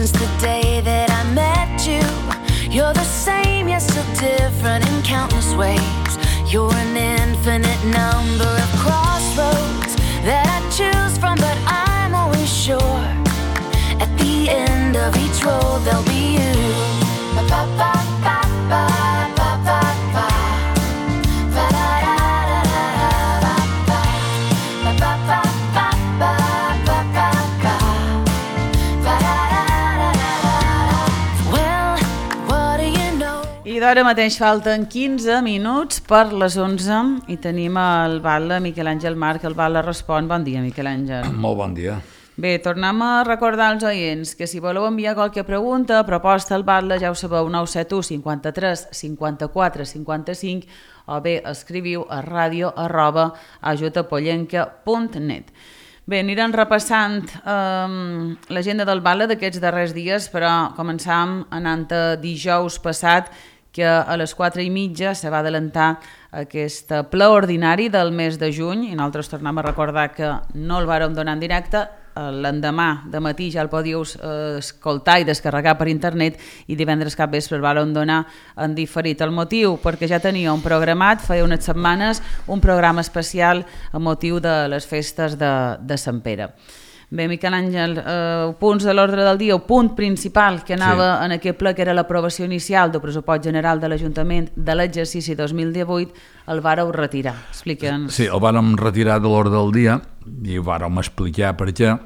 since the day that I met you. You're the same, yet still different in countless ways. You're an infinite number of crossroads that I choose from, but I'm always sure at the end of each road there'll be you. I d'ara mateix falten 15 minuts per les 11 i tenim el Batlle Miquel Àngel Marc. El Batlle respon. Bon dia, Miquel Àngel. Molt bon dia. Bé, tornem a recordar als oients que si voleu enviar qualque pregunta, proposta al Batlle, ja ho sabeu, 971 53 54 55 o bé escriviu a radio@ajutapollenca.net. Bé, anirem repassant l'agenda del Batlle d'aquests darrers dies, però començam anant a dijous passat, que a les 4:30 se va adelantar aquest ple ordinari del mes de juny i nosaltres tornem a recordar que no el vàrem donar en directe. L'endemà de matí ja el podíeu escoltar i descarregar per internet i divendres cap vespre el vàrem donar en diferit. El motiu, perquè ja tenia un programat, feia unes setmanes, un programa especial a motiu de les festes de Sant Pere. Bé, Miquel Àngel, punts de l'ordre del dia, el punt principal que anava en aquest ple, que era l'aprovació inicial del pressupost general de l'Ajuntament de l'exercici 2018, el vàreu retirar. Explica'ns. Sí, el vàrem retirar de l'ordre del dia i ho vàrem explicar per què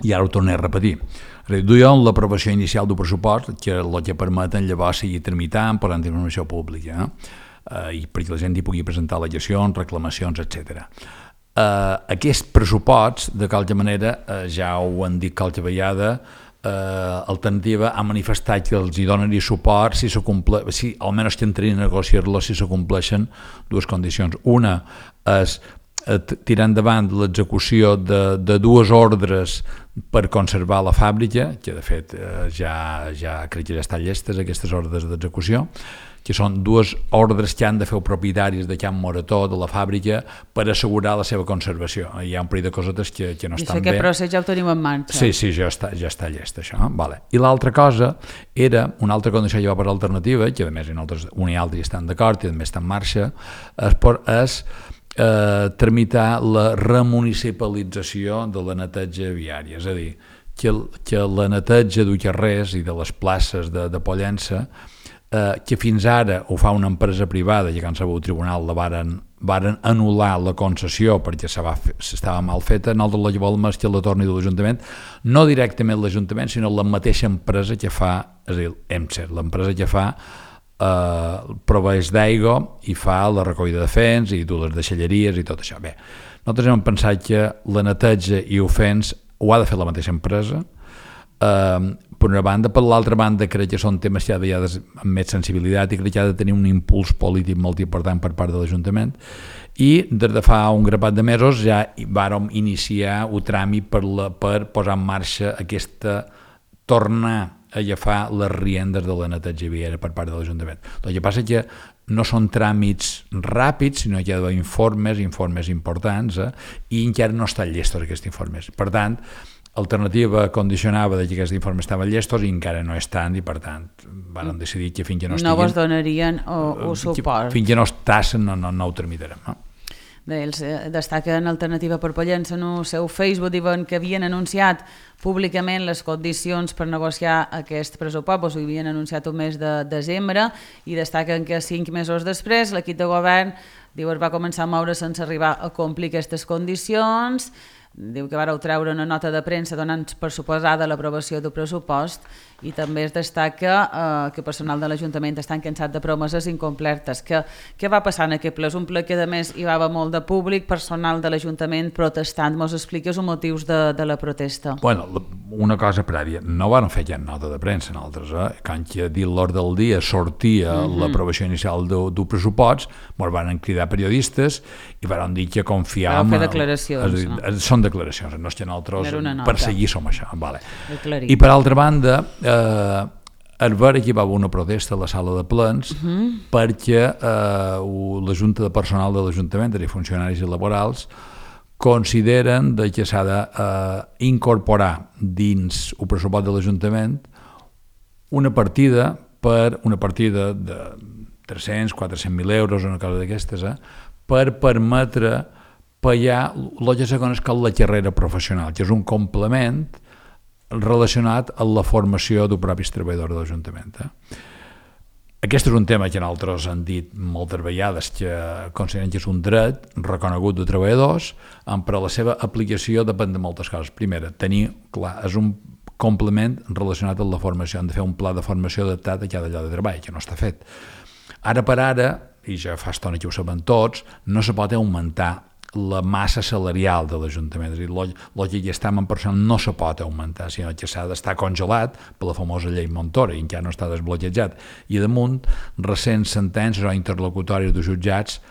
i ara ho tornaré a repetir. Duien l'aprovació inicial del pressupost, que és el que permeten llavors seguir tramitant per l'informació pública i perquè la gent hi pugui presentar al·legacions, reclamacions, etc. Aquest pressupost, de qualque manera, ja ho han dit qualque vegada, Alternativa ha manifestat que els hi donaria suport si almenys que entrarien a negociar-lo si se compleixen dues condicions. Una és tirar endavant l'execució de dues ordres per conservar la fàbrica, que de fet ja crec que ja estan llestes aquestes ordres d'execució, que són dues ordres que han de fer els propietaris de Can Morató, de la fàbrica, per assegurar la seva conservació. Hi ha un parell de cosetes que no estan bé. I aquest procés ja ho tenim en marxa. Sí, ja està llest, això. Vale. I l'altra cosa era, una altra condició que va per l'Alternativa, que a més un i altre estan d'acord i a més està en marxa, és tramitar la remunicipalització de la neteja viària, és a dir, que la neteja de carrers i de les places de Pollença, que fins ara ho fa una empresa privada i que en sabeu el tribunal la varen anul·lar la concessió perquè estava mal feta, nosaltres la volem és que la torni de l'Ajuntament, no directament l'Ajuntament, sinó la mateixa empresa que fa, és a dir, EMSER, l'empresa que fa proveeix d'aigua i fa la recollida de fens i les deixalleries i tot això. Bé, nosaltres hem pensat que la neteja i ofens ho ha de fer la mateixa empresa, per una banda. Per l'altra banda, crec que són temes que ha de amb més sensibilitat i crec que ha de tenir un impuls polític molt important per part de l'Ajuntament, i des de fa un grapat de mesos ja vàrem iniciar un tràmit per posar en marxa tornar a agafar les riendes de la neteja viària per part de l'Ajuntament. El que passa és que no són tràmits ràpids, sinó que hi ha d'haver informes importants, i encara no estan llestos aquests informes. Per tant, Alternativa condicionava que aquests informes estaven llestos i encara no estan, i per tant van decidir que fins que no estiguin... No vos donarien o suport. Fins que no estassen no ho tramitarem. Ells destaquen Alternativa per Pollença en el seu Facebook, diuen que havien anunciat públicament les condicions per negociar aquest pressupost, ho havien anunciat el mes de desembre, i destaquen que 5 mesos després l'equip de govern diu es va començar a moure sense arribar a complir aquestes condicions. Diu que vareu treure una nota de premsa donant per suposada l'aprovació del pressupost, i també es destaca que el personal de l'Ajuntament estan cansats de promeses incomplertes. Què va passar en aquest ple? És un ple que a més hi va haver molt de públic, personal de l'Ajuntament protestant. Mos expliques els motius de la protesta? Bueno, una cosa prèvia, no van fer ja nota de premsa nosaltres, quan que dit l'ordre del dia sortia l'aprovació inicial del pressupost, ens van cridar periodistes i van dir que confiàvem... Vau fer declaracions, no? Són declaracions, no és que nosaltres perseguir som això. I per altra banda, al veure que hi va haver una protesta a la sala de plens perquè la Junta de Personal de l'Ajuntament, de funcionaris i laborals, consideren que s'ha d'incorporar dins el pressupost de l'Ajuntament una partida de 300-400.000 euros, una cosa d'aquestes, per permetre pagar el que se coneix com la carrera professional, que és un complement relacionat amb la formació del propi treballador de l'Ajuntament. Aquest és un tema que nosaltres hem dit moltes vegades, que considerem que és un dret reconegut de treballadors, però la seva aplicació depèn de moltes coses. Primera, és un complement relacionat amb la formació. Hem de fer un pla de formació adaptat a cada lloc de treball, que no està fet. Ara per ara, i ja fa estona que ho sabem tots, no se pot augmentar la massa salarial de l'Ajuntament. És a dir, el que ja està en personal no se pot augmentar, sinó que s'ha d'estar congelat per la famosa llei Montoro i encara no està desbloquejat. I damunt, recents sentències o interlocutòries de jutjats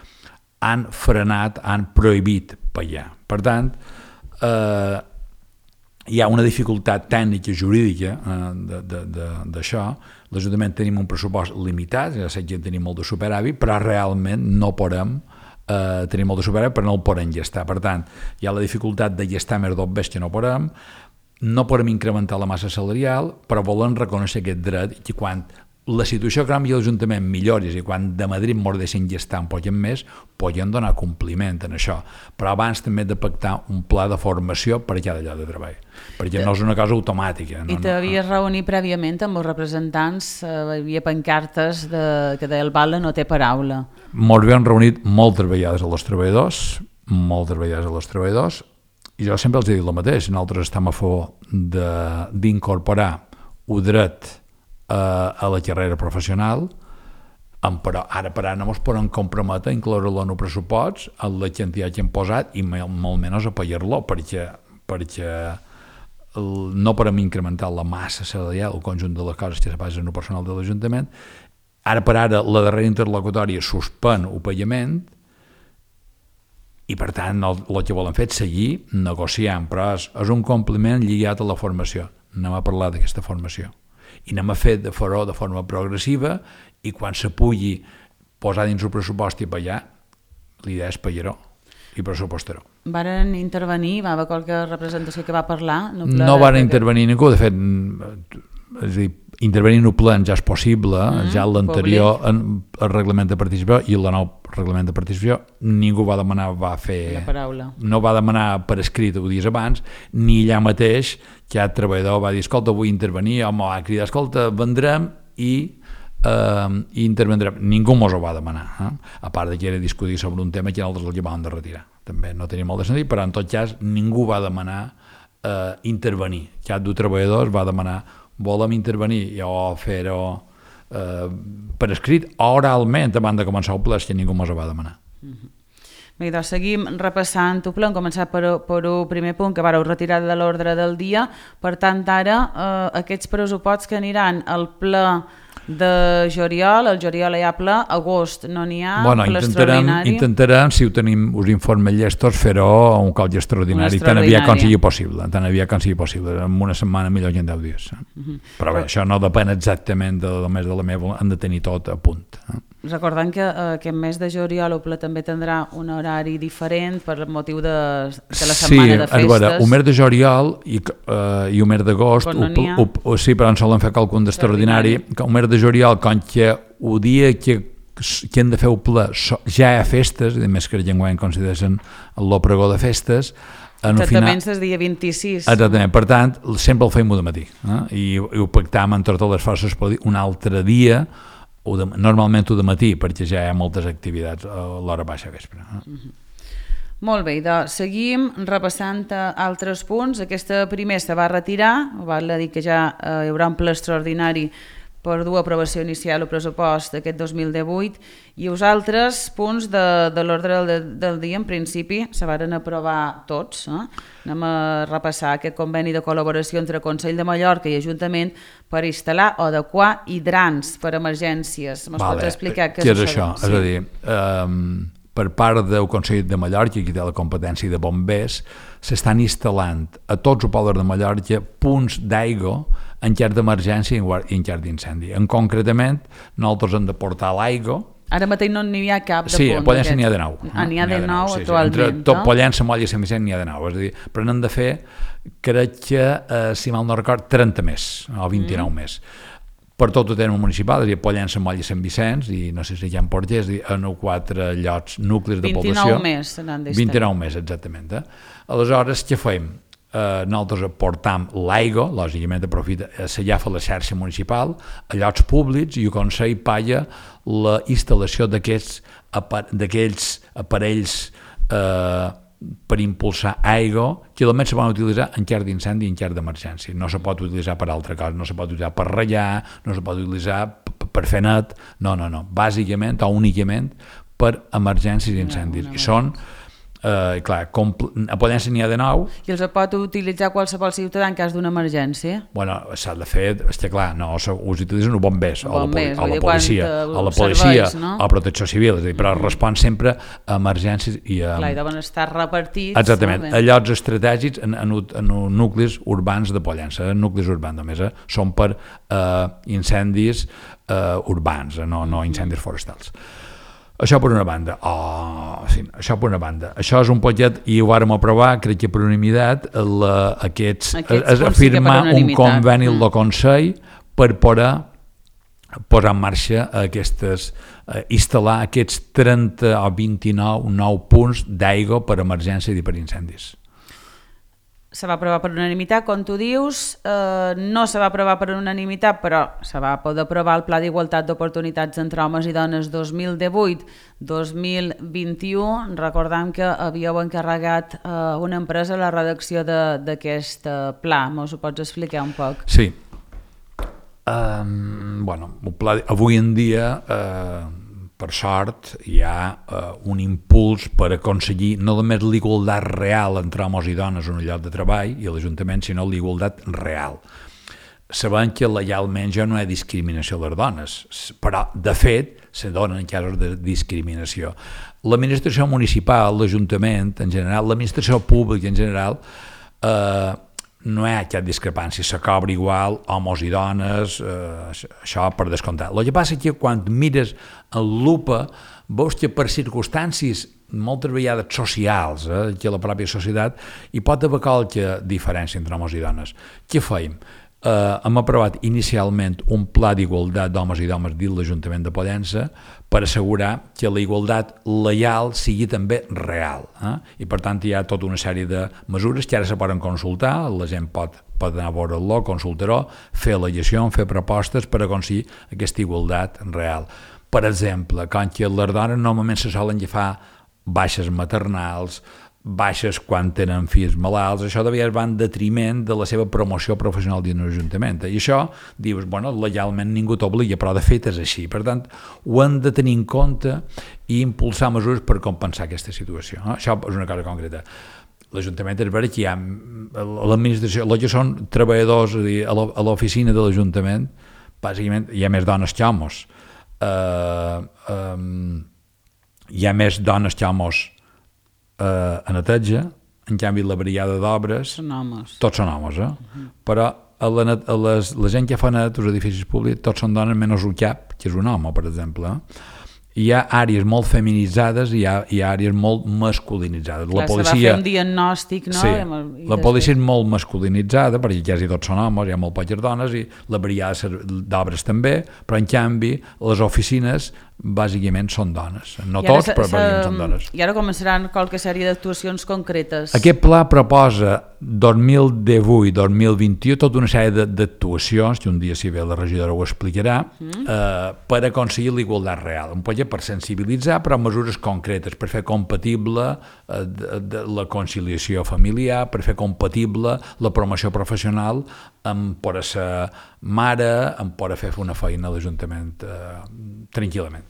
han frenat, han prohibit pagar. Per tant, hi ha una dificultat tècnica i jurídica d'això. L'Ajuntament tenim un pressupost limitat, ja sé que tenim molt de superàvit, però realment no podem tenim molt de superàvit, però no el podem gestar. Per tant, hi ha la dificultat de gestar més d'obres que no podem incrementar la massa salarial, però volem reconèixer aquest dret i quan la situació econòmica de l'Ajuntament millori i quan de Madrid ens deixen gestar un poc més, podem donar compliment en això. Però abans també de pactar un pla de formació per a cada lloc de treball, perquè no és una cosa automàtica. I t'havies reunit prèviament amb els representants, hi havia pancartes que deia el Vale no té paraula. Ens havíem reunit moltes vegades a les treballadors, i jo sempre els he dit el mateix, nosaltres estem a favor d'incorporar el dret a la carrera professional, però ara per ara no ens podem comprometre a incloure-lo en el pressupost, en la quantitat que hem posat, i molt menys a pagar-lo, perquè no podem incrementar la massa salarial, el conjunt de les coses que se passen en el personal de l'Ajuntament. Ara per ara la darrera interlocutòria suspèn el pagament i per tant el que volem fer és seguir negociant, però és un compliment lligat a la formació. Anem a parlar d'aquesta formació i anem a fer de forma progressiva, i quan se pugui posar dins el pressupost i pagar, l'idea és pagar-ho i pressupostar-ho. Varen intervenir? Va haver qualque representació que va parlar? No van intervenir ningú, de fet, és a dir, intervenir en el ple ja és possible, ja l'anterior el reglament de participació i el nou reglament de participació ningú va demanar, no va demanar per escrit 10 dies abans, ni allà mateix cada treballador va dir, escolta, vull intervenir, home, va cridar, escolta, vendrem i intervendrem. Ningú mos ho va demanar, a part que era discutir sobre un tema que nosaltres el llevàvem de retirar. També no tenia molt de sentit, però en tot cas ningú va demanar intervenir. Cap dels treballadors va demanar volem intervenir o fer-ho per escrit o oralment abans de començar el ple, que ningú mos ho va demanar. Bé, doncs seguim repassant el ple. Hem començat per un primer punt que vareu retirar de l'ordre del dia. Per tant, ara aquests pressuposts que aniran al ple de juliol, el juliol hi ha ple, agost no n'hi ha, ple extraordinari. Intentarem, si ho tenim, us informes llestos, fer-ho un cop extraordinari, tan aviat com sigui possible, en una setmana millor que en 10 dies. Però bé, això no depèn exactament només de la meva, hem de tenir tot a punt. Recordant que aquest mes de juliol el ple també tindrà un horari diferent per motiu de la setmana de festes. Sí, veure, un mes de juliol i un mes d'agost, sí, però en solen fer qualcun d'extraordinari, un mes de juliol, com que el dia que hem de fer el ple ja hi ha festes, a més que enguany consideren el pregó de festes, exactament, és el dia 26. Exactament, per tant, sempre el fem de matí, i ho pactam amb totes les forces per dir un altre dia, normalment de matí, perquè ja hi ha moltes activitats a l'hora baixa vespre. Molt bé, doncs seguim repassant altres punts. Aquesta primer se va retirar, val a dir que ja hi haurà un ple extraordinari per dur a aprovació inicial el pressupost d'aquest 2018, i els altres punts de l'ordre del dia en principi se van aprovar tots. Anem a repassar aquest conveni de col·laboració entre Consell de Mallorca i Ajuntament per instal·lar o adequar hidrants per emergències. Ens pots explicar què és això? És a dir, per part del Consell de Mallorca, qui té la competència de bombers, s'estan instal·lant a tots els pobles de Mallorca punts d'aigua en cas d'emergència i en cas d'incendi. Concretament, nosaltres hem de portar l'aigua Ara mateix no n'hi ha cap de sí, punt. Sí, a Pollença n'hi ha de 9. N'hi ha de 9 sí, actualment. Sí. Entre tot Pollença, Molla i Sant Vicent n'hi ha de 9. És a dir, però n'han de fer, crec que, si mal no record, 30 més, o 29 més. Per tot el terme municipal, és a dir, Pollença, Molla i Sant Vicenç, i no sé si hi ha en Porter, és a dir, en 4 llocs, nuclis de població. 29 més se n'han d'estar. 29 més, exactament. Aleshores, què fem? Nosaltres aportam l'aigua, lògicament s'allafa la xarxa municipal, a llocs públics, i el Consell paga la instal·lació d'aquells aparells per impulsar aigua, que només se poden utilitzar en cas d'incendi i en cas d'emergència. No se pot utilitzar per altra cosa, no se pot utilitzar per ratllar, no se pot utilitzar per fer net, no, bàsicament o únicament per emergències i incendis. I són, clar, a Pollença n'hi ha de 9. I els pot utilitzar qualsevol ciutadà en cas d'una emergència? Bueno, s'ha de fer, és que clar, no, us utilitzen els bombers, o la policia, o protecció civil, és a dir, però respon sempre a emergències i a... Clar, i deuen estar repartits. Exactament, a llocs estratègics en nuclis urbans de Pollença, nuclis urbans només, són per incendis urbans, no incendis forestals. Això per una banda. Això és un projecte, i ho vàrem aprovar, crec que per unanimitat, és afirmar un conveni del Consell per poder posar en marxa instal·lar aquests 30 o 29 punts d'aigua per emergència i per incendis. Se va aprovar per unanimitat, com tu dius, no se va aprovar per unanimitat, però se va poder aprovar el Pla d'Igualtat d'Oportunitats entre Homes i Dones 2018-2021. Recordem que havíeu encarregat una empresa la redacció d'aquest pla. Mos ho pots explicar un poc? Sí. El pla, avui en dia, per sort, hi ha un impuls per aconseguir no només l'igualtat real entre homes i dones en un lloc de treball i a l'Ajuntament, sinó l'igualtat real. Sabem que legalment ja no hi ha discriminació a les dones, però, de fet, se donen casos de discriminació. L'administració municipal, l'Ajuntament en general, l'administració pública en general, no hi ha cap discrepància, se cobra igual homes i dones, això per descomptat. El que passa és que quan mires en lupa veus que per circumstàncies moltes vegades socials, que la pròpia societat, hi pot haver qualque diferència entre homes i dones. Què feim? Hem aprovat inicialment un pla d'igualtat d'homes i dones dins l'Ajuntament de Pollença per assegurar que la igualtat legal sigui també real. I per tant hi ha tota una sèrie de mesures que ara se poden consultar, la gent pot anar a veure-lo, consultar-ho, fer al·legacions, fer propostes per aconseguir aquesta igualtat real. Per exemple, com que les dones normalment se solen agafar baixes maternals, baixes quan tenen fills malalts, això de vegades va en detriment de la seva promoció professional dins l'Ajuntament. I això, dius, bueno, legalment ningú t'obliga, però de fet és així. Per tant, ho hem de tenir en compte i impulsar mesures per compensar aquesta situació. Això és una cosa concreta. L'Ajuntament és vera que hi ha l'administració, els que són treballadors, és a dir, a l'oficina de l'Ajuntament, bàsicament hi ha més dones que homes. Hi ha més dones que homes a neteja, en canvi la brigada d'obres tots són homes, però la gent que fa net als edificis públics tots són dones menys un cap, que és un home, per exemple. Hi ha àrees molt feminitzades i hi ha àrees molt masculinitzades. Clar, se va fer un diagnòstic, no? Sí, la policia és molt masculinitzada, perquè quasi tots són homes, hi ha molt poques dones, i la brigada d'obres també, però en canvi les oficines bàsicament són dones. No tots, però bàsicament són dones. I ara començaran qualque sèrie d'actuacions concretes. Aquest pla proposa 2018-2021 tota una sèrie d'actuacions, que un dia si ve la regidora ho explicarà, per aconseguir l'igualtat real. Un projecte per sensibilitzar, però mesures concretes, per fer compatible la conciliació familiar, per fer compatible la promoció professional amb poder ser mare, amb poder fer una feina a l'Ajuntament tranquil·lament.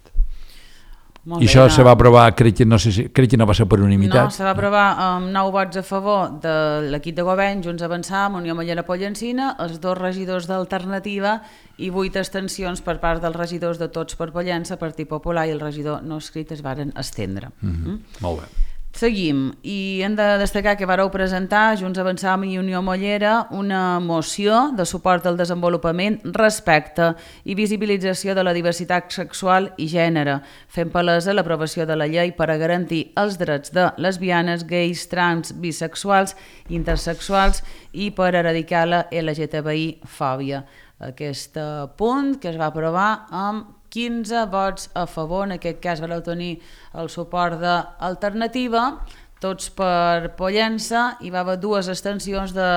I això se va aprovar, crec que no va ser per unanimitat. No, se va aprovar amb 9 vots a favor de l'equip de govern, Junts Avançar, Unió Mallera Pollencina, els 2 regidors d'Alternativa i 8 abstencions per part dels regidors de Tots per Pollença, Partit Popular, i el regidor no escrit es varen estendre. Molt bé. Seguim, i hem de destacar que vareu presentar, Junts Avançam i Unió Mollera, una moció de suport al desenvolupament, respecte i visibilització de la diversitat sexual i gènere, fent palesa l'aprovació de la llei per a garantir els drets de lesbianes, gais, trans, bisexuals, intersexuals i per erradicar la LGTBI-fòbia. Aquest punt que es va aprovar amb 15 vots a favor, en aquest cas vau tenir el suport d'Alternativa, tots per Pollença, i va haver 2 abstencions de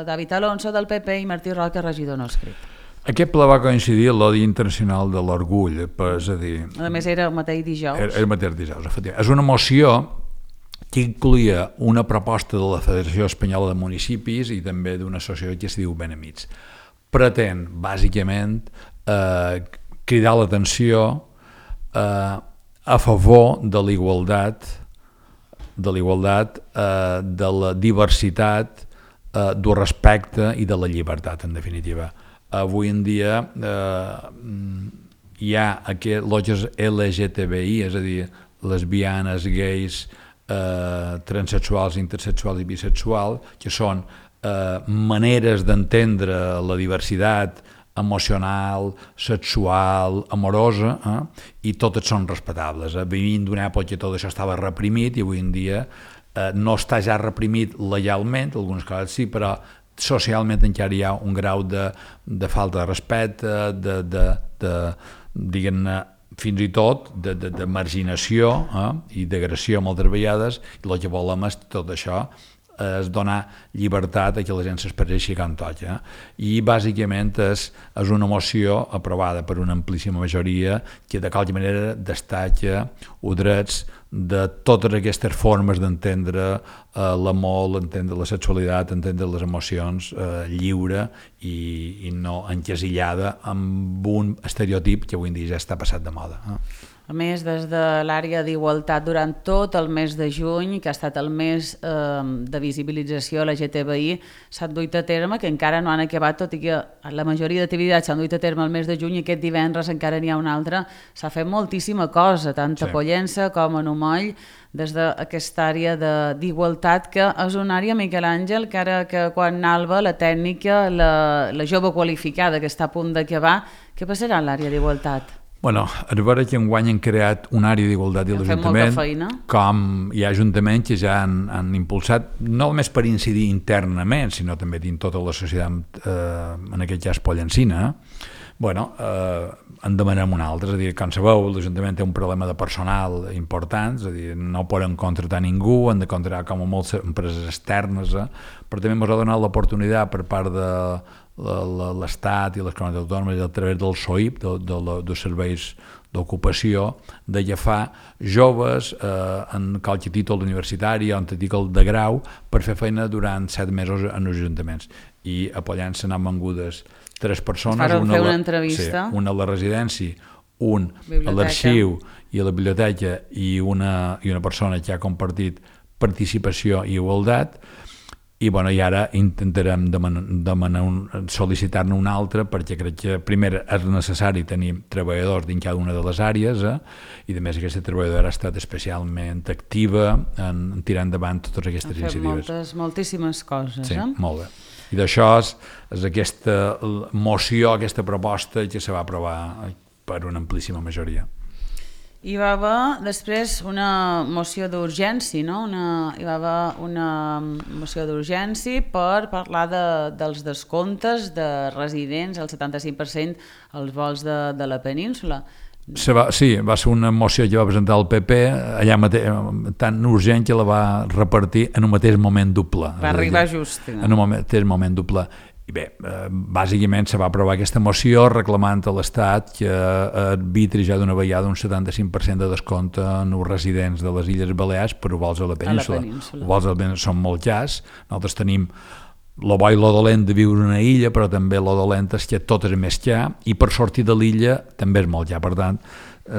David Alonso del PP i Martí Roca, regidor no escrit. Aquest ple va coincidir amb el Dia Internacional de l'Orgull, és a dir... A més era el mateix dijous. Era el mateix dijous, efectivament. És una moció que incluïa una proposta de la Federació Espanyola de Municipis i també d'una associació que es diu Benamics. Pretén, bàsicament, cridar l'atenció a favor de l'igualtat, de la diversitat, del respecte i de la llibertat, en definitiva. Avui en dia hi ha aquests LGTBI, és a dir, lesbianes, gais, transsexuals, intersexuals i bisexuals, que són maneres d'entendre la diversitat emocional, sexual, amorosa, i totes són respectables. Vivint d'una època que tot això estava reprimit i avui en dia no està ja reprimit legalment, algunes coses sí, però socialment encara hi ha un grau de falta de respecte, diguem-ne, fins i tot de marginació i d'agressió moltes vegades, i el que volem és tot això, és donar llibertat a que la gent s'expresseixi com toca. I bàsicament és una moció aprovada per una amplíssima majoria que de qualque manera destaca els drets de totes aquestes formes d'entendre l'amor, entendre la sexualitat, entendre les emocions lliure i no encasillada amb un estereotip que avui en dia ja està passat de moda. A més, des de l'àrea d'igualtat, durant tot el mes de juny, que ha estat el mes de visibilització LGTBI, s'han duit a terme, que encara no han acabat, tot i que la majoria d'activitats s'han duit a terme el mes de juny, i aquest divendres encara n'hi ha una altra. S'ha fet moltíssima cosa, tant a Pollença com a Numoll, des d'aquesta àrea d'igualtat, que és una àrea, Miquel Àngel, que ara que quan Alba, la tècnica, la jove qualificada que està a punt d'acabar, què passarà en l'àrea d'igualtat? Bueno, és vera que enguany han creat una àrea d'igualtat de l'Ajuntament, com hi ha ajuntaments que ja han impulsat, no només per incidir internament, sinó també dins tota la societat, en aquest cas pollencina. Bueno, en demanem una altra, és a dir, com sabeu, l'Ajuntament té un problema de personal important, és a dir, no poden contractar ningú, han de contractar com a moltes empreses externes, però també ens ha donat l'oportunitat per part de l'Estat i les comunitats autònomes a través del SOIP, dels serveis d'ocupació, d'agafar joves en qualque títol universitari o en títol de grau per fer feina durant 7 mesos en els ajuntaments. I a Pollença n'han vengudes 3 persones, una a la residència, un a l'arxiu i a la biblioteca i una persona que ha compartit participació i igualtat. I ara intentarem sol·licitar-ne una altra, perquè crec que primer és necessari tenir treballadors dins cada una de les àrees, i a més aquesta treballadora ha estat especialment activa en tirar endavant totes aquestes iniciatives. Ha fet moltíssimes coses. Sí, molt bé. I d'això és aquesta moció, aquesta proposta que se va aprovar per una amplíssima majoria. Hi va haver després una moció d'urgència, no? Hi va haver una moció d'urgència per parlar dels descomptes de residents, el 75% als vols de la península. Sí, va ser una moció que va presentar el PP, allà mateix, tan urgent que la va repartir en un mateix moment doble. Va arribar just. En un mateix moment doble. I bé, bàsicament se va aprovar aquesta moció reclamant a l'Estat que arbitri ja d'una vegada un 75% de descompte en els residents de les Illes Balears per vols a la península. Els vols a la península són molt cars. Nosaltres tenim lo bo i lo dolent de viure en una illa, però també lo dolent és que tot és més car i per sortir de l'illa també és molt car. Per tant,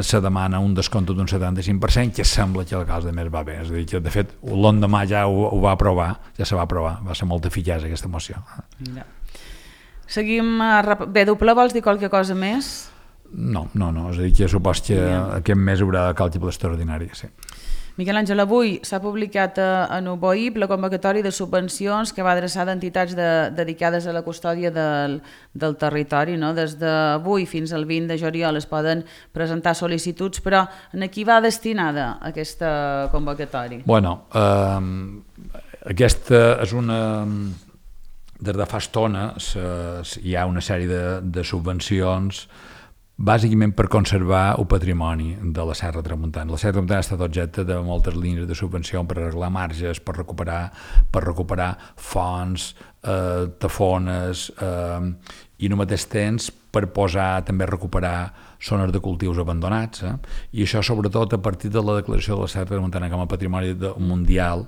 se demana un descompte d'un 75%, que sembla que el cas de més va bé. És a dir, que de fet l'endemà ja ho va aprovar, ja se va aprovar, va ser molt eficaç aquesta moció. Seguim. Bé, doble, vols dir qualque cosa més? No, és a dir, que supos que aquest mes haurà de càlcul extraordinari, sí. Miquel Àngel, avui s'ha publicat a Nuboip la convocatòria de subvencions que va adreçar d'entitats dedicades a la custòdia del territori. No? Des d'avui fins al 20 de juliol es poden presentar sol·licituds, però a qui va destinada aquesta convocatòria? Bueno, aquesta és una... Des de fa estona hi ha una sèrie de subvencions bàsicament per conservar el patrimoni de la Serra Tramuntana. La Serra Tramuntana ha estat objecte de moltes línies de subvenció per arreglar marges, per recuperar fonts, tafones i al mateix temps per també recuperar zones de cultius abandonats. I això sobretot a partir de la declaració de la Serra Tramuntana com a patrimoni mundial,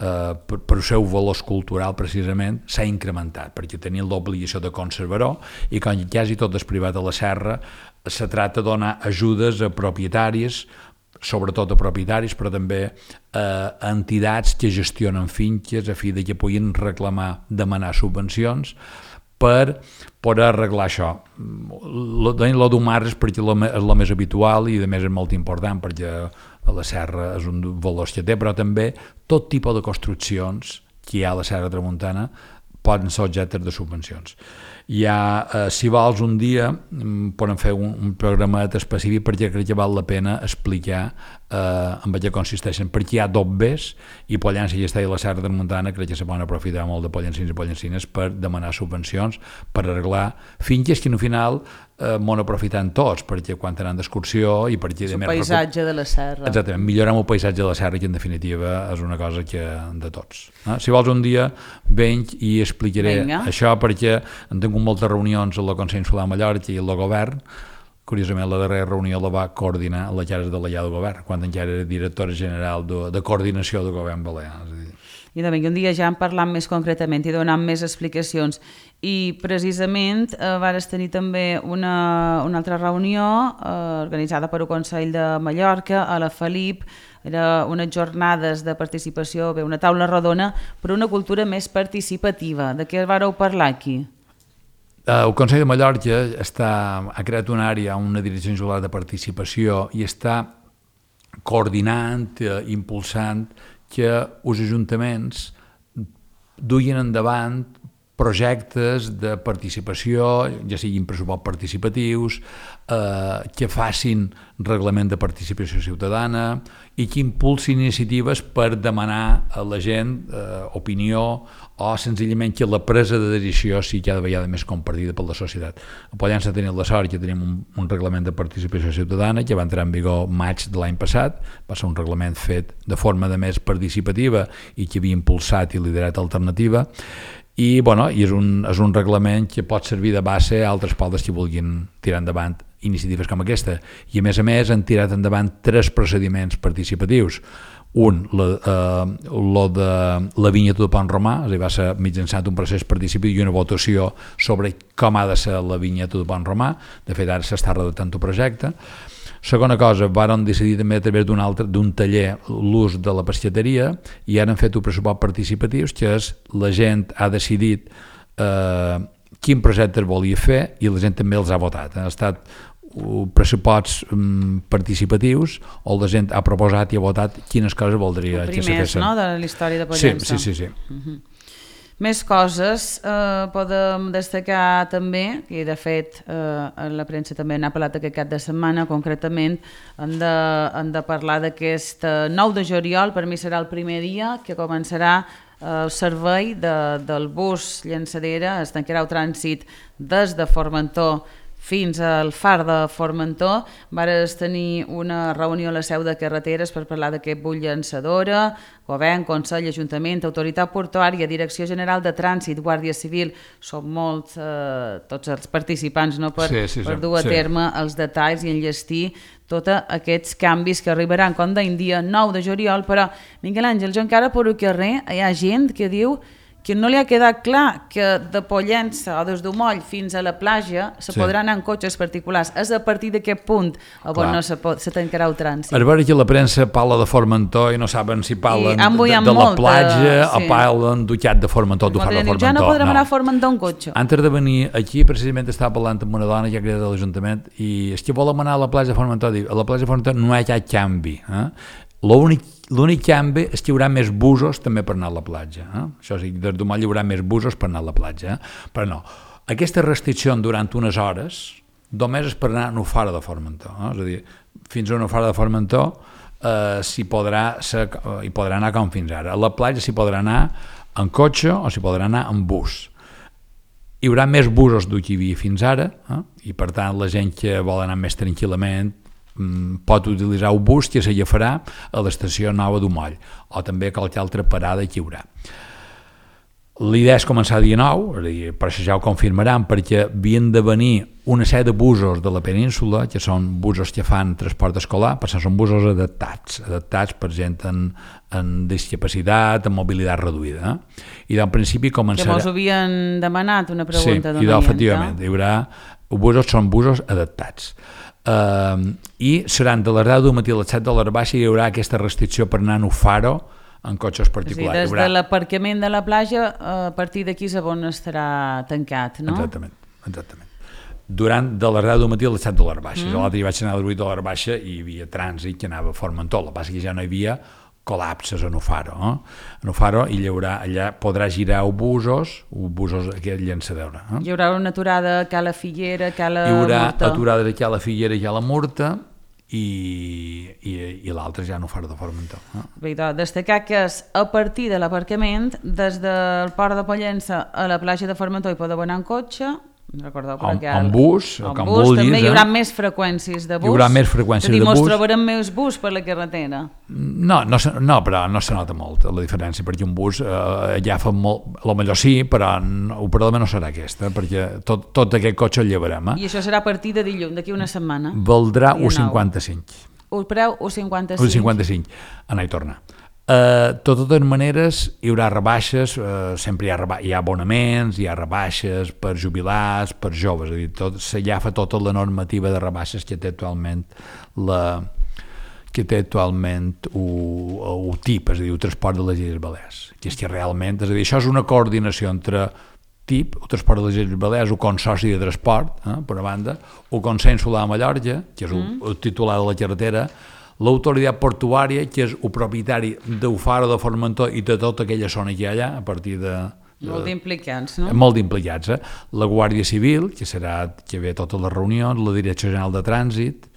per el seu valor cultural precisament s'ha incrementat, perquè tenia l'obligació de conservar-ho, i quan quasi tot és privat a la serra se tracta de donar ajudes a propietaris, sobretot a propietaris, però també a entitats que gestionen finques a fi de que puguin demanar subvencions per poder arreglar això. Lo d'un mar és perquè és el més habitual i a més és molt important perquè a la serra és un valor que té, però també tot tipus de construccions que hi ha a la Serra Tramuntana poden ser objectes de subvencions. Si vols un dia podem fer un programet específic perquè crec que val la pena explicar en què consisteixen, perquè hi ha dobbers i Pollença i Estella i la Serra Tramuntana crec que se poden aprofitar molt de pollencins i pollencines per demanar subvencions per arreglar finques que al final m'ho aprofitant tots, perquè quan tenen d'excursió i perquè... El paisatge de la serra. Exactament, millorem el paisatge de la serra, que en definitiva és una cosa que de tots. Si vols un dia venc i explicaré això, perquè hem tingut moltes reunions al Consell Insular de Mallorca i el govern. Curiosament, la darrera reunió la va coordinar la que ara és delegada del govern, quan encara era directora general de coordinació del govern balear. I de un dia ja en parlant més concretament i donant més explicacions. I precisament vares tenir també una altra reunió organitzada per el Consell de Mallorca a la Felip. Era unes jornades de participació, una taula rodona per una cultura més participativa. De què vareu parlar aquí? El Consell de Mallorca ha creat una àrea, una direcció insular de participació i està coordinant, impulsant que els ajuntaments duien endavant projectes de participació, ja siguin pressupost participatius, que facin reglament de participació ciutadana i que impulsin iniciatives per demanar a la gent opinió o senzillament que la presa de decisió sigui cada vegada més compartida per la societat. A Pollença tenim la sort que tenim un reglament de participació ciutadana que va entrar en vigor maig de l'any passat, va ser un reglament fet de forma de més participativa i que havia impulsat i liderat Alternativa, i és un reglament que pot servir de base a altres pobles que vulguin tirar endavant iniciatives com aquesta. I a més han tirat endavant 3 procediments participatius. Un, lo de la vinyeta de Pont Romà, és a dir, va ser mitjançant un procés participatiu i una votació sobre com ha de ser la vinyeta de Pont Romà. De fet, ara s'està redactant el projecte. Segona cosa, varen decidir també a través d'un taller l'ús de la pescateria i ara han fet un pressupost participatius, que és la gent ha decidit quin projecte es volia fer i la gent també els ha votat. Han estat pressuposts participatius on la gent ha proposat i ha votat quines coses voldria que se fessin. Primers, no?, de la història de Pollença. Sí. Més coses podem destacar també, i de fet la premsa també n'ha parlat aquest cap de setmana, concretament hem de parlar d'aquest 9 de juliol, per mi serà el primer dia que començarà el servei del bus llançadera, es tancarà el trànsit des de Formentor fins al far de Formentor. Vares tenir una reunió a la seu de carreteres per parlar d'aquest bus llançadora, govern, consell, ajuntament, autoritat portuària, direcció general de trànsit, guàrdia civil, són molts tots els participants, no, per dur a terme els detalls i enllestir tots aquests canvis que arribaran, com deien, dia 9 de juliol, però Miquel Àngel, jo encara per el carrer hi ha gent que diu que no li ha quedat clar que de Pollença o des d'Umoll fins a la platja se podrà anar en cotxes particulars. És a partir d'aquest punt on no se tancarà el trànsit. És veure que la premsa parla de Formentor i no saben si parlen de la platja o parlen d'Utxat de Formentor, de Formentor. Ja no podrem anar a Formentor en cotxe. Antes de venir aquí, precisament estava parlant amb una dona que ha creat a l'Ajuntament i és que volem anar a la platja de Formentor. A la platja de Formentor no hi ha cap canvi. L'únic canvi és que hi haurà més busos també per anar a la platja. Això sí, des d'un moll hi haurà més busos per anar a la platja. Però no, aquesta restricció durant unes hores només és per anar a Nufara de Formentor. És a dir, fins a Nufara de Formentor hi podrà anar com fins ara. A la platja s'hi podrà anar en cotxe o s'hi podrà anar en bus. Hi haurà més busos del que hi havia fins ara, i per tant la gent que vol anar més tranquil·lament pot utilitzar un bus que s'agafarà a l'estació nova d'Umoll o també a qualque altra parada que hi haurà. L'idea és començar dia 9, per això ja ho confirmaran, perquè havien de venir una sèrie de busos de la península, que són busos que fan transport escolar, perquè són busos adaptats per gent en discapacitat, en mobilitat reduïda. I del principi començarà... Que mos havien demanat una pregunta. Sí, efectivament, hi haurà busos, són busos adaptats. I seran de les 10 del matí a les 7 de l'hora baixa, hi haurà aquesta restricció per anar a Nufaro en cotxes particulars. Des de l'aparcament de la platja, a partir d'aquí és on estarà tancat, no? Exactament. De les 10 del matí a les 7 de l'hora baixa. L'altre hi vaig anar a les 8 de l'hora baixa i hi havia trànsit que anava a Formentor. El que passa és que ja no hi havia col·lapses a Nufaro. A Nufaro allà podrà girar busos aquest llançador. Hi haurà una aturada a Cala Figuera, Cala Murta. Hi haurà aturada a Cala Figuera i Cala Murta, i l'altre ja no farà de Formentor. Bé, doncs, destacar que és a partir de l'aparcament, des del port de Pollença a la platja de Formentor hi podeu anar en cotxe, recordeu que en bus, com vulguis. També hi haurà més freqüències de bus. Hi haurà més freqüències de bus. Mos trobarem més bus per la carretera. No, però no se nota molt la diferència, perquè un bus ja fa molt, potser sí, però l'operador no serà aquesta, perquè tot aquest cotxe el llevarem. I això serà a partir de dilluns, d'aquí una setmana. Valdrà 1,55. El preu 1,55. 1,55, anar i tornar. De totes maneres hi haurà rebaixes, sempre hi ha abonaments, hi ha rebaixes per jubilats, per joves, és a dir, s'agafa tota la normativa de rebaixes que té actualment el TIP, és a dir, el transport de les Illes Balears, que és que realment, és a dir, això és una coordinació entre TIP, el transport de les Illes Balears, el Consorci de Transport, per una banda, el Consell Insular de Mallorca, que és el titular de la carretera, l'autoritat portuària, que és el propietari d'Ufaro, de Formentor i de tota aquella zona que hi ha allà, a partir de... Molt d'implicats, no? Molt d'implicats, La Guàrdia Civil, que ve a totes les reunions, la Direcció General de Trànsit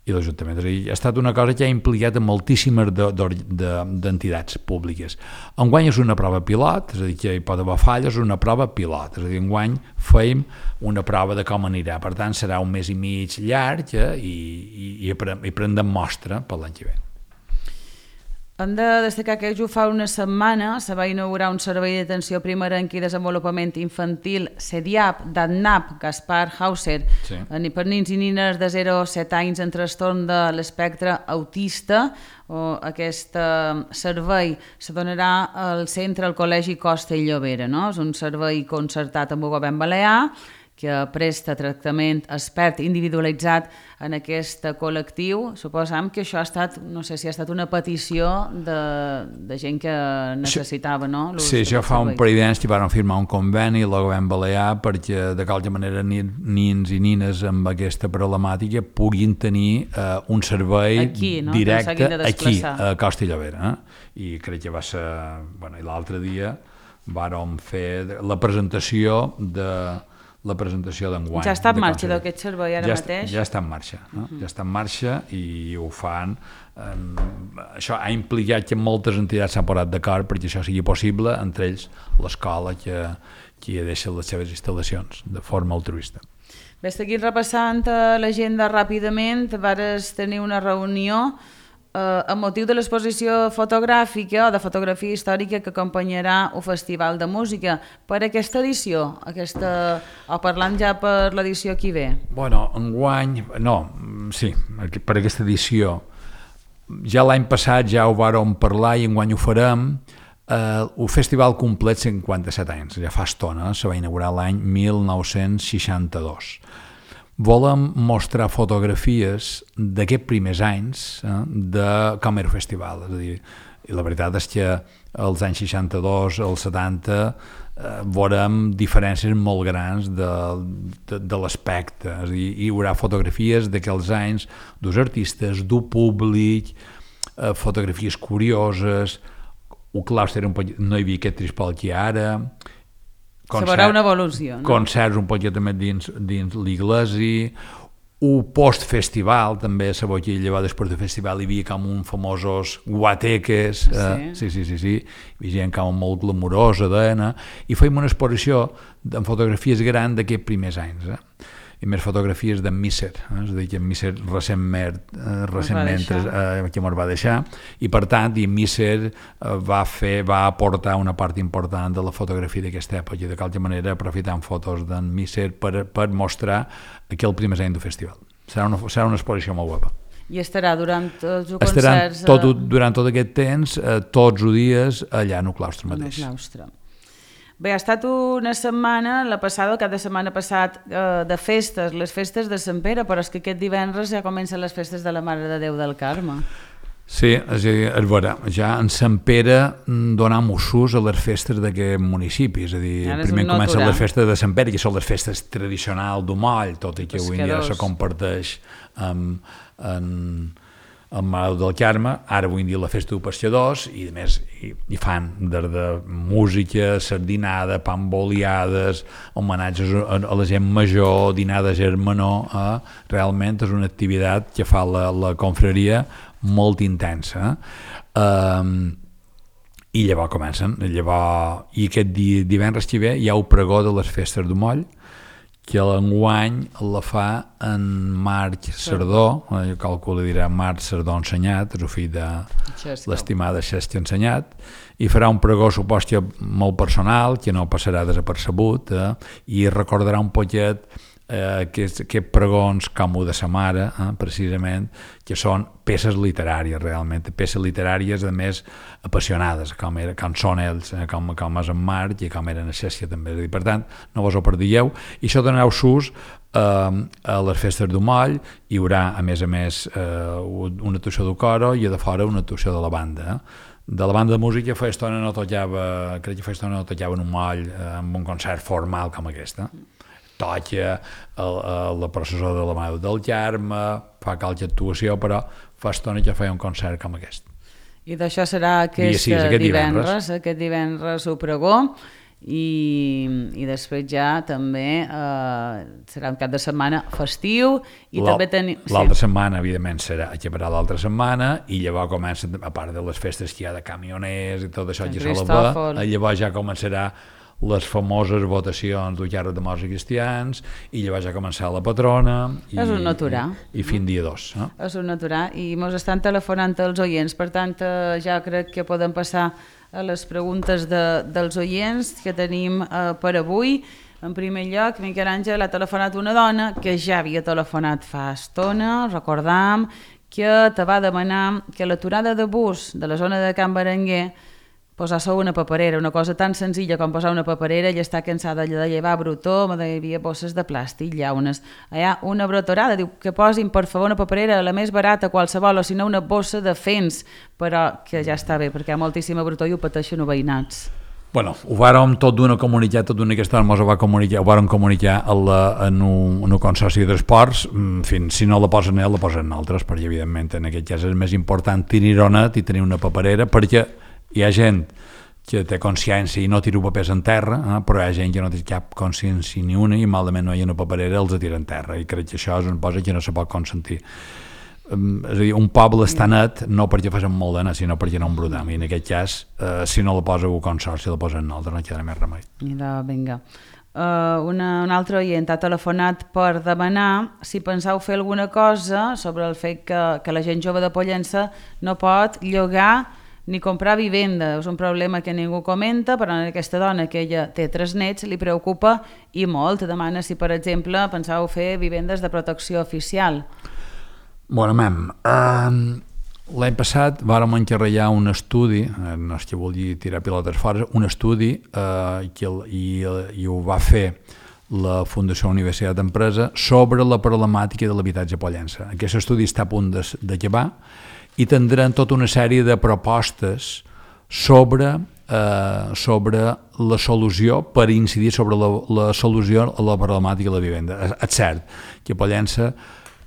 i l'Ajuntament. És a dir, ha estat una cosa que ha implicat a moltíssimes d'entitats públiques. Enguany és una prova pilot, és a dir, que hi pot haver falles, és una prova pilot, és a dir, enguany fèiem una prova de com anirà, per tant serà un mes i mig llarg i prendrem mostra per l'any que ve. Hem de destacar que jo fa una setmana se va inaugurar un servei d'atenció primerenca i desenvolupament infantil CEDIAP d'ADNAP Gaspar Hauser per nens i nines de 0 a 7 anys en trastorn de l'espectre autista. Aquest servei se donarà al centre al Col·legi Costa i Llobera. És un servei concertat amb el govern balear que presta tractament expert individualitzat en aquest col·lectiu. Suposam que això ha estat, no sé si ha estat una petició de gent que necessitava, no? Sí, això fa un parell d'anys que van firmar un conveni al govern balear perquè de qualque manera nins i nines amb aquesta problemàtica puguin tenir un servei directe aquí, a Costa i Llobera. I crec que va ser... I l'altre dia vàrem fer la presentació d'enguany. Ja està en marxa d'aquest servei ara mateix? Ja està en marxa, ja està en marxa i ho fan. Això ha implicat que moltes entitats s'han posat d'acord perquè això sigui possible, entre ells l'escola que deixa les seves instal·lacions de forma altruista. Bé, seguint repassant l'agenda ràpidament, vares tenir una reunió amb motiu de l'exposició fotogràfica o de fotografia històrica que acompanyarà el Festival de Música. Per aquesta edició, o parlant ja per l'edició que hi ve? Enguany, per aquesta edició. Ja l'any passat ja ho vàrem parlar i enguany ho farem. El festival complet 57 anys, ja fa estona, se va inaugurar l'any 1962. Volem mostrar fotografies d'aquests primers anys de com era el festival. És a dir, i la veritat és que als anys 62, als 70, veurem diferències molt grans de l'aspecte. És a dir, hi haurà fotografies d'aquells anys, dels artistes, del públic, fotografies curioses, el claustre no hi havia aquest trispol que hi ha ara, se veurà una evolució, no? Concerts un poquet més dins l'iglesi, un post-festival, també a la Boquilla, després del festival, hi havia com un famosos guateques, sí, hi havia gent com molt glamurosa, i fèiem una exposició amb fotografies grans d'aquests primers anys, i més fotografies d'en Misser, és a dir, que en Misser recentment que ens va deixar, i per tant, en Misser va aportar una part important de la fotografia d'aquesta època, i de qualque manera aprofitant fotos d'en Misser per mostrar aquell primer any del festival. Serà una exposició molt guapa. I estarà durant tots els concerts... Durant tot aquest temps, tots els dies, allà en el claustre mateix. Bé, ha estat una setmana, cap de setmana passat, de festes, les festes de Sant Pere, però és que aquest divendres ja comencen les festes de la Mare de Déu del Carme. Sí, és a dir, ja en Sant Pere donem ús a les festes d'aquest municipi, és a dir, primer comencen les festes de Sant Pere, que són les festes tradicionals d'Umoll, tot i que avui dia se comparteix amb Mare del Carme, ara avui dia la festa dels pescadors, i a més hi fan des de música, sardinada, pamboliades, homenatges a la gent major, dinada germanor, realment és una activitat que fa la confraria molt intensa, i llavors comencen, i aquest divendres que ve hi ha el pregó de les festes d'Umoll, que l'enguany la fa en Marc Sardó, jo calculo dirà Marc Sardó Ensenyat, és el fill de l'estimada Xesca Ensenyat, i farà un pregó, supos que molt personal, que no passarà desapercebut, i recordarà un poquet aquests pregons com el de sa mare, precisament, que són peces literàries, realment, peces literàries, a més, apassionades, com són ells, com és en Marc i com eren a Xèssia també. Per tant, no vos ho perdieu, i això donareu sus a les festes d'Umoll. Hi haurà, a més, una actuació de coro i a de fora una actuació de la banda. De la banda de música fa estona no tocava en Umoll amb un concert formal com aquest. Toca la processó de la Mare del Carme, fa qualque actuació, però fa estona que feia un concert com aquest. I d'això serà aquest divendres ho pregó, i després ja també serà un cap de setmana festiu, i també l'altra setmana evidentment serà acabarà l'altra setmana, i llavors comença, a part de les festes que hi ha de camioners i tot això que llavors ja començarà les famoses votacions del càrrec de morts i cristians, i llavors ja començarà la patrona i fin dia 2. És un natural, i ens estan telefonant els oients, per tant ja crec que podem passar a les preguntes dels oients que tenim per avui. En primer lloc, Miquel Àngel, ha telefonat una dona que ja havia telefonat fa estona, recordam, que te va demanar que l'aturada de bus de la zona de Can Berenguer posar una paperera, una cosa tan senzilla com posar una paperera, i està cansada de llevar brutó, hi havia bosses de plàstic, hi ha una brotorada, diu que posin per favor una paperera, la més barata qualsevol, o si no una bossa de fens, però que ja està bé, perquè hi ha moltíssima brutó i ho pateixen els veïnats. Bueno, ho vàrem tot d'una aquesta hora, ho vàrem comunicar en un consorci de transports, si no la posen ell, la posen altres, perquè evidentment en aquest cas és més important tenir-ho net i tenir una paperera, perquè hi ha gent que té consciència i no tira papers en terra, però hi ha gent que no té cap consciència ni una, i malament no hi ha una paperera, els tira en terra, i crec que això és una cosa que no se pot consentir. És a dir, un poble està net no perquè facin molt de net, sinó perquè no embrutam, i en aquest cas, si no la posa un consorci, la posa en altre, no queda més remei. Vinga. Un altre oient ha telefonat per demanar si penseu fer alguna cosa sobre el fet que la gent jove de Pollença no pot llogar ni comprar vivenda. És un problema que ningú comenta, però a aquesta dona, que ella té 3 nets, li preocupa i molt. Demana si, per exemple, penseu fer vivendes de protecció oficial. Bueno, l'any passat vàrem encarregar un estudi, no és que vulgui tirar pilotes fora, un estudi i ho va fer la Fundació Universitat d'Empresa sobre la problemàtica de l'habitatge a Pollença. Aquest estudi està a punt d'acabar, i tindran tota una sèrie de propostes sobre la solució, per incidir sobre la solució a la problemàtica de la vivenda. És cert que a Pollença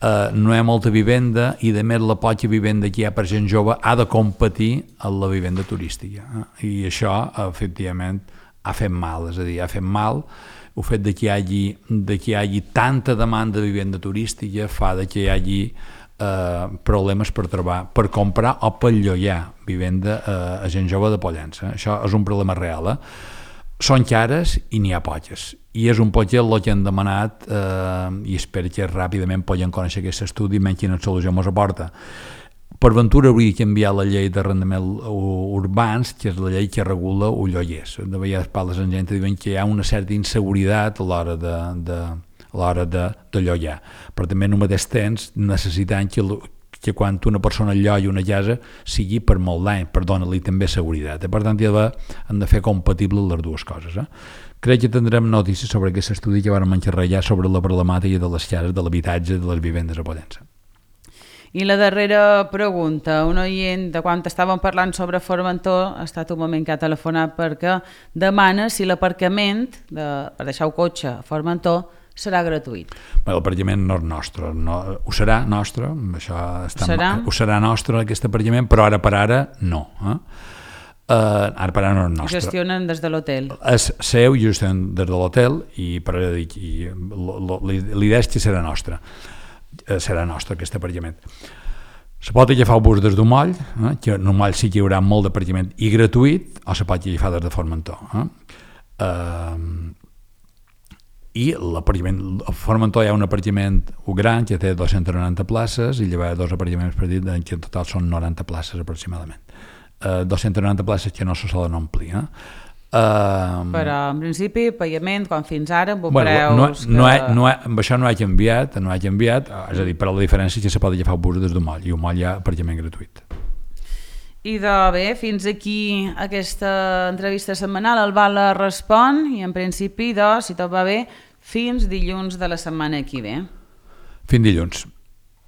no hi ha molta vivenda i de més la poca vivenda que hi ha per gent jove ha de competir amb la vivenda turística, i això efectivament ha fet mal, és a dir, ha fet mal el fet que hi hagi tanta demanda de vivenda turística fa que hi hagi problemes per trobar, per comprar o per llogar vivenda a gent jove de Pollença. Això és un problema real, Són cares i n'hi ha poques, i és un poc el que han demanat, i espero que ràpidament puguem conèixer aquest estudi i menys quina solució ens aporta. Per ventura hauria de canviar la llei d'arrendaments urbans, que és la llei que regula el lloguers. De vegades parles amb gent que diuen que hi ha una certa inseguretat a l'hora de llogar, però també en el mateix temps necessitant que quan una persona llogui una casa sigui per molt d'any, per donar-li també seguretat. Per tant, han de fer compatibles les dues coses. Crec que tindrem notícies sobre aquest estudi que vam encarregar sobre la problemàtica de les cases, de l'habitatge, de les vivendes a Pollença. I la darrera pregunta, un oient de quan estàvem parlant sobre Formentor ha estat un moment que ha telefonat perquè demana si l'aparcament per deixar el cotxe a Formentor serà gratuït. L'aparcament no és nostre, ho serà nostre, ho serà nostre aquest aparcament, però ara per ara no. Ara per ara no és nostre. Gestionen des de l'hotel. És seu, gestionen des de l'hotel, i l'idea és que serà nostre aquest aparcament. Se pot agafar el bus des del moll, que en el moll sí que hi haurà molt d'aparcament i gratuït, o se pot agafar des de Formentor. I l'aparcament, a Formentor hi ha un aparcament gran que té 290 places i llavors dos apartaments petits que en total són 90 places aproximadament. 290 places que no se solen omplir. Però en principi pagament com fins ara amb preus amb això no ha canviat, és a dir, però la diferència és que se pot agafar el bus des del moll i el moll hi ha aparcament gratuït. I bé, fins aquí aquesta entrevista setmanal, el Bala respon, i en principi, si tot va bé, fins dilluns de la setmana que ve. Fins dilluns.